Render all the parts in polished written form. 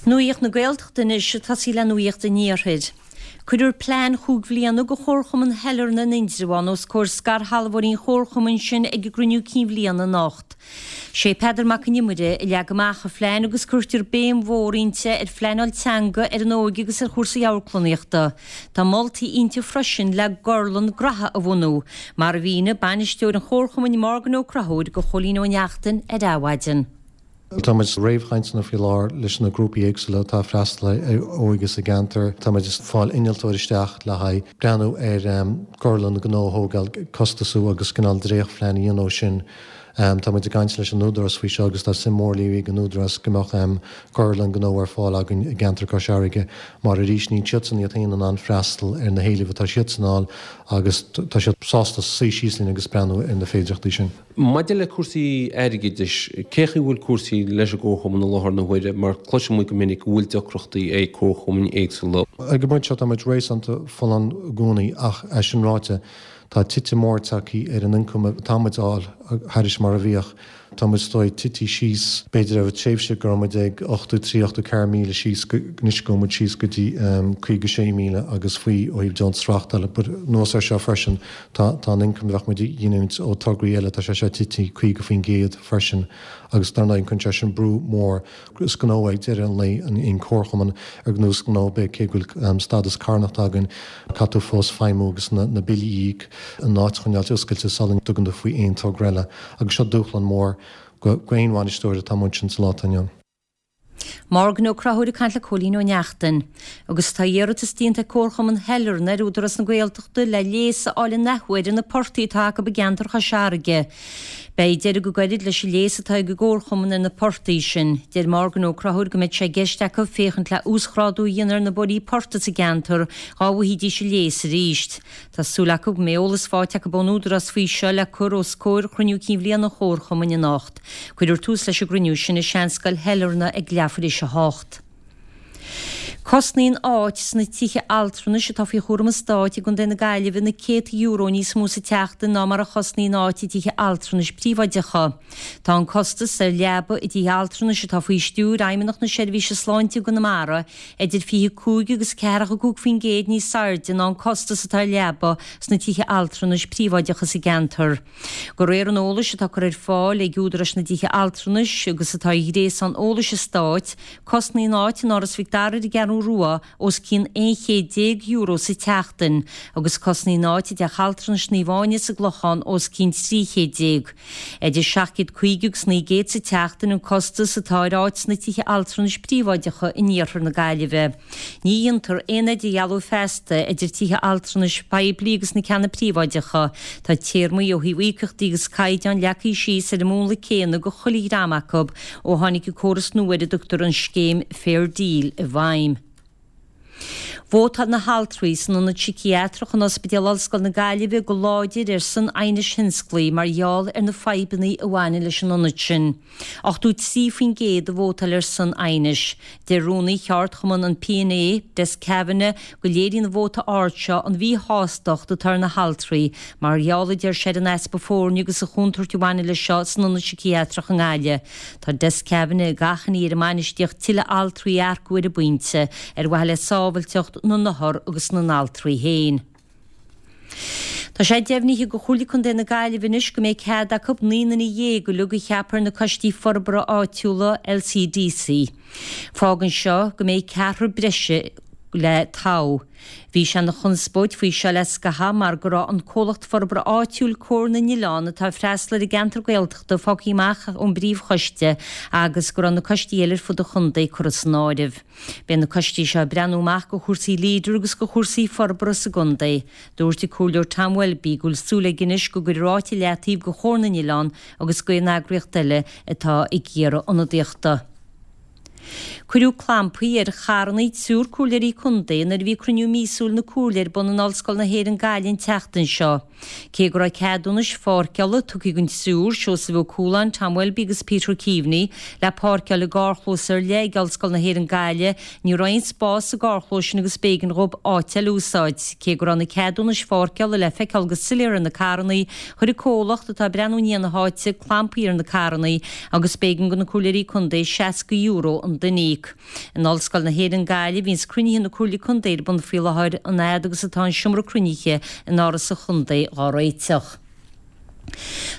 Nuacht na Gaeltachta anois, ag tosaí le nuacht an Iarthair. Cuirfear plean chúig bhliana do Chomharchumann Shailearna in Indreabhán os comhair scairshealbhóirí an chomharchumainn sin ag a gcruinniú cinn bhliana anocht. Sé Peadar Mac an Iomaire a leag amach an phlean agus cuirtear béim mhór inti ar phleanáil teanga, ar an óige agus ar chúrsaí amharclannaíochta. Tá moltaí inti freisin le gorlann graithe a bhunú, mar a mhínigh bainisteoir an chomharchumainn Morgan Ó Conchúir do Chóilín Ó Neachtain ar Adhmhaidin. Tá muid i réamhchainteanna faoi láthair leis na grúpaí éagsúla atá ag freastal ar óige sa gceantar. Tá muid ag fáil innealtóir isteach le haghaidh breathnú ar gorlann gnó a thógáil, costasú agus cineál dréachtphlean a dhéanamh sin. Tá muid ag caint leis an Údarás faoi seo agus tá suim mhór léirithe ag an Údarás go mbeadh gorlann gnó ar fáil againn i gceantar Cois Fharraige mar arís níl siadsan iad féin in ann freastal ar na héilimh atá siadsan a fháil agus tá siad sásta suí síos linn agus breathnú ar na féidearthachtaí sin. Maidir le cúrsaí airgeadais, cé chaoi bhfuil cúrsaí leis an gComharchumann i láthair na huaire mar cloiseann muid go minic go bhfuil deacrachtaí ag comharchumainn éagsúla. Ag an bpointe seo tá muid réasúnta folláin i gcónaí ach é sin ráite tá titim mór tagtha ar an ioncam atá muid a fháil thairis mar a bhíodh. Tá muid is dóigh tite síos b'fhéidir ó tréimhse go raibh muid ag 83, 84 míle síos go anois go bhfuil muid síos go dtí 56 míle agus faoi ó thaobh deontas reáchtála. But anuas ar seo freisin Tá tá an ioncam a bheadh muid a ghiniúint ó tograí eile, tá sé seo tite 50% freisin agus dar ndóigh cuireann sé sin brú mór. Is gnó é ag deireadh an lae an comharchumann ar nós gnó ar bith, cé go bhfuil stádas carthanachta againn, caithfidh tú fós feidhmiú agus na na billí a íoc, an áit a choinneáilt oscailte sula dtugann tú faoi aon togra eile agus seo dúshlán mór go aon bhainisteoir atá amuigh ansin sa lá atá inniu ann. Morgan Ó Conchúir ag caint le Cóilín Ó Neachtain. Agus tá iarratas déanta ag Comharchumann Shailearna ar Údarás na Gaeltachta le léas a fháil an athuair ar na portaigh atá acu i gceantar Chois Fharraige. Beidh deireadh go gairid leis an léas atá ag an gComharchumann ar na portaigh sin. Deir Morgan Ó Conchúir go mbeidh sé i gceist acu féachaint le uasghrádú a dhéanamh ar na bóithrí portaigh sa gceantar dhá bhfaighidís an léas arís. Tá súil acu go mbeidh eolas faighte acu ón Údarás faoi seo le cur os comhair chruinniú cinn bhliana an Chomharchumainn anocht. Cuirfear tús leis an gcruinniú sin i Seanscoil Shailearna ag leathuair tar éis a hocht. Cosnaíonn áit sna tithe altranais atá faoi chúram an Stáit i gContae na Gaillimhe na céadta euro níos mó sa tseachtain ná mar a chosnaíonn áit i dtithe altranais príobháideacha. Tá an costas ar leaba i dtithe altranais atá faoi stiúir Fheidhmeannacht na Seirbhíse Sláinte i gConamara idir 25 agus 45% níos airde ná an costas atá ar leaba sna tithe altranais príobháideacha sa gceantar. De réir an eolais atá curtha ar fáil ag údaráis na dtithe altranais agus atá ar ghréasán eolais an Stáit, cosnaíonn áit in Áras Mhic Dara ar an gCeathrú Rua os cionn €11 chéad sa tseachtain agus cosnaíonn áit i dTeach Altranais Naomh Áine sa gClochán os cionn 1300. Idir 750 agus 900 sa tseachtain an costas atá ar áit sna tithe altranais príobháideacha in iarthar na Gaillimhe. Ní dhéantar aon idirdhealú feasta idir tithe altranais poiblí agus na ceanna príobháideacha. Tá téarmaí ó thaobh íocaíochtaí agus caighdeáin leagtha síos ar an múnla céanna do chuile dhream acu ó tháinig an córas nua ar a dtugtar an scéim Fair Deal i bhfeidhm. Vótáil na haltraí san Ionad Síciatrach in Ospidéal Ollscoile na Gaillimhe go láidir ar son aighnis thionsclaígh mar gheall ar na fadhbanna a bhaineann leis an ionad sin. 83% a vótáil ar son aighnis. Deir rúnaí cheardchumann an P&A, Des Kavanagh, go léiríonn an vóta ard seo an mhíshástacht atá ar na haltraí mar gheall, a deir sé, ar an easpa foirne agus an chontúirt a bhaineann leis seo san Ionad Síciatrach i nGaillimh. Tá Des Kavanagh ag achainí ar an mbainistíocht tuilleadh altraí a earcú ar an bpointe, ar mhaithe le sábhailteacht na n-othar agus na n-altraí féin. Tá sé deimhnithe do Chomhairle Contae na Gaillimhe anois go mbeidh cead acu 19 nduine uilig a cheapadh ar na Coistí Forbartha Áitiúla, LCDC. Fágann seo go mbeidh ceathrar breise le toghadh. Bhí sé ina chonspóid faoi seo le scaitheamh mar go raibh an comhlacht forbartha áitiúil Comhar na nOileán atá ag freastal ar an gceantar Gaeltachta fágtha amach ón bpríomhchoiste agus go raibh na coistí eile ar fud an chontae curtha san áireamh. Beidh na coistí seo ag breathnú amach do chúrsaí Leader agus do chúrsaí forbartha sa gcontae. Dúirt an Comhairleoir Tom Welby go bhfuil súil aige anois go gcuirfear áit i leataobh do Chomhar na nOileán agus d'aon eagraíocht eile atá ag iarraidh ionadaíochta. Cuireadh clampaí ar charranna triúr comhairleoirí contae nuair a bhí cruinniú míosúil na comhairle ar bun in Ollscoil na hÉireann Gaillimh an tseachtain seo. Cé go raibh ceadúnais pháirceála tugtha don triúr, Seosamh Ó Cualáin, Tom Welby agus Peter Keaveney, le páirceáil i gcarrchlós ar leith ag Ollscoil na hÉireann Gaillimh, ní raibh aon spás sa gcarrchlós sin agus b'éigean dhóibh áit eile a úsáid. Cé go raibh na ceadúnais pháirceála le feiceáil go soiléir ar na carrannaí, chuir an comhlacht atá ag breathnú i ndiaidh na háite clampaí ar na carrannaí agus b'éigean do na Comhairleoirí Contae €60 an duine a íoc. In Ollscoil na hÉireann Gaillimh a bhíonns cruinnithe na Comhairle Contae ar bun faoi láthair, an fhad agus atá an seomra cruinnithe in Áras an Chontae dhá réiteach.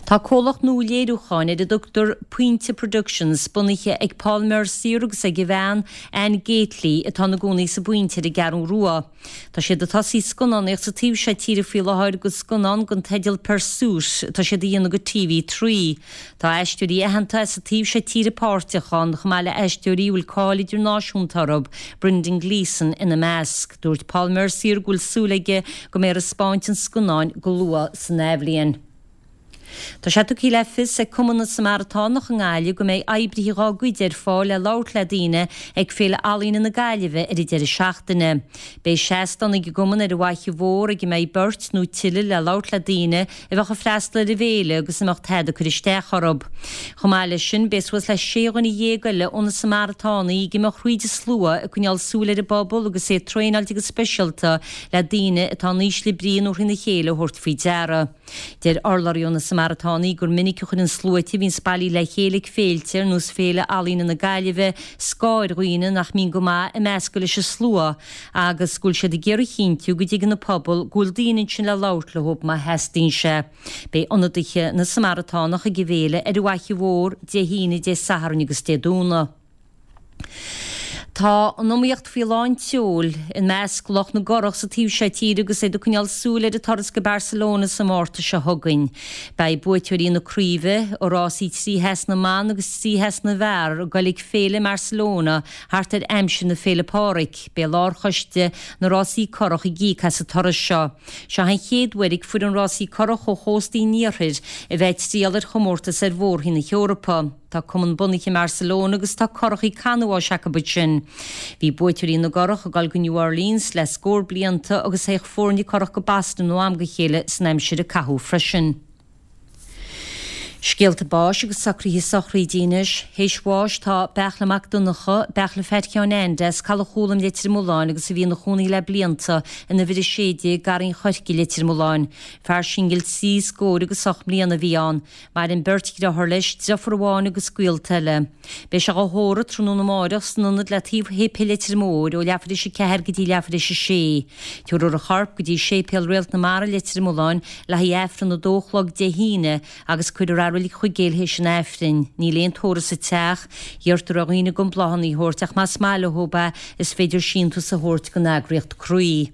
Tá comhlacht nua léiriúcháin ar a dtugtar Pointe Productions bunaithe ag Paul Mercier agus ag a bhean Anne Gately atá ina gcónaí sa bPointe ar an gCeathrú Rua. Tá siad ag tosaí scannánaíocht sa taobh seo tíre faoi láthair go scannán den teideal Pursuit atá siad a dhéanamh go TV3. Tá aisteoirí aitheanta as an taobh seo tíre páirteach ann, chomh maith le aisteoirí a bhfuil cáil idirnáisiúnta orthu, Brendan Gleeson ina measc. Dúirt Paul Mercier go bhfuil súil aige go mbeidh ar taispeáint an scannáin go luath san athbhliain. Tá sé tugtha le fios ag Cumann na Samaratánach i nGaillimh go mbeidh oibrithe dhá gcuid ar fáil le labhairt le daoine ag Féile Ealaíne na Gaillimhe ar an deireadh seachtaine. Beidh seastán ag an gcumann ar an bhFaiche Mhór ag a mbeidh beirt nó tuilleadh le labhairt le daoine a bheadh ag freastal ar an bhféile agus a mbeadh tada ag cur isteach orthu. Chomh maith leis sin, beidh suas le sé dhuine dhéag eile ó na Samaratánaigh ag imeacht thríd an slua ag coinneáil súil ar an bpobal agus é traenáilte go speisialta le daoine atá in ísle brí nó thrína chéile a thabhairt faoi deara. Deir urlabhraí ó na Samaratánaigh gur minic a chuireann sluaite a bhíonns bailithe le chéile ag féilte ar nós Féile Ealaíne na Gaillimhe scáth ar dhaoine nach mbíonn go maith ag meascadh leis an slua agus go bhfuil siad ag iarraidh a chinntiú go dtuigeann an pobal go bhfuil daoine ansin le labhairt leo má theastaíonn sé. Beidh ionadaithe na Samaratánach ag an bhféile ar an bhFaiche Mhór Dé hAoine, Dé Sathairn agus Dé Domhnaigh. Tá an iomaíocht faoi lán tseoil i measc lucht na gcurach sa taobh seo tíre agus iad ag coinneáil súil ar an turas go Barcelona sa Márta seo chugainn. Beidh buaiteoirí na craoibhe i rásaí trí theas na mban agus trí theas na bhfear ag goil ag féile i mBarcelona thart ar aimsir na Féile Pádraig. Beidh lárchoiste na rásaí curach ag íoc as an turas seo. Seo an chéad uair ag foireann rásaí curach ó chóstaí an iarthair a bheith ag triall ar chomórtas ar mhór-roinn na hEorpa. Tá cumann bunaithe i mBarcelona agus tá curachaí canbháis acu ansin. Bhí buaiteoirí na gcurach ag dul go New Orleans le scór blianta agus théadh foirne curach go Boston ó am go chéile san aimsir a caitheadh freisin. Scéalta báis agus socruithe sochraide anois. Théis bháis tá Beartla Mac Donncha, Beartla Pheait Sheáin Ainde as Caladh Chúlaim Leitir Mealláin agus a bhí ina chónaí le blianta in uimhir 16 Garraí an Choirce Leitir Mealláin. Fear singil trí scór agus 8 mbliana a bhí ann. Maireann beirt dhriotháir leis, driofúr amháin agus gaolta eile. Beidh sé dhá thórramh tráthnóna amáireach san ionad le taobh Shéipéal Leitir Móir ó leathuair théis 4 go dtí leathuair théis 6. Tabharfar a chorp go dtí Séipéal Réalt na Mara Leitir Mealláin le haghaidh Aifreann a dó a chlog Dé hAoine agus cuirfear é i Reilig Chuigéil théis an Aifrinn. Níl aon tórramh sa teach. Iarrtar ar dhaoine gan bláthanna a thabhairt ach más maith leo é is féidir síntiús a thabhairt don eagraíocht Croí.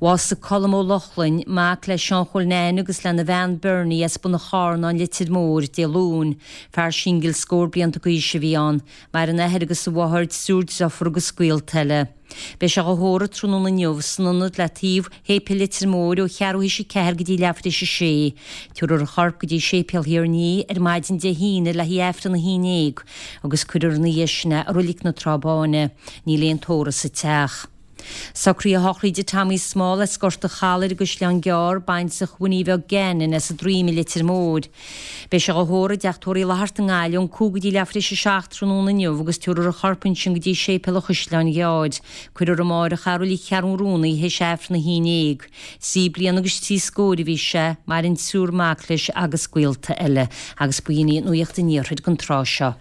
Bhásaigh Colm Ó Lochlainn, mac le Seán Chóil Neain agus lena bhean Bernie as Bun an Charnáin, Leitir Móir, Dé Luain. Fear singil scór blianta d'aois a bhí ann. Maireann a athair agus a mháthair, triúr driofúr agus gaolta eile. Beidh sé dhá thórramh tráthnóna inniu san ionad le taobh Shéipéal Leitir Móir ó cheathrú théis a ceathair go dtí leathuair théis a sé. Tabharfar a chorp go dtí Séipéal Thír an Fhia ar maidin Dé hAoine le haghaidh Aifreann a haon déag agus cuirfear ina dhiaidh sin é i Roilig na Trá Báine. Níl aon tórramh sa teach. Socruithe sochraide Tommy Small as Gort a' Chalaidh ar an gCaisleán Gearr, baintreach Winnie Bheag Gannon as an Droim i Leitir Móir. Beidh sé dhá thórramh i dTeach Tórraimh Uí Fhlatharta i nGaillimh ón 5 go dtí leathuair théis a 7 tráthnóna inniu agus tabharfar a chorp ansin go dtí Séipéal an Chaisleáin Ghearr. Cuirfear amáireach é i Roilig Cheathrún Rúnaí théis Aifreann a haon déag. Trí bliana agus trí scóir a bhí sé, maireann triúr mac leis agus gaolta eile. Agus b'in í nuacht an iarthair don tráth seo.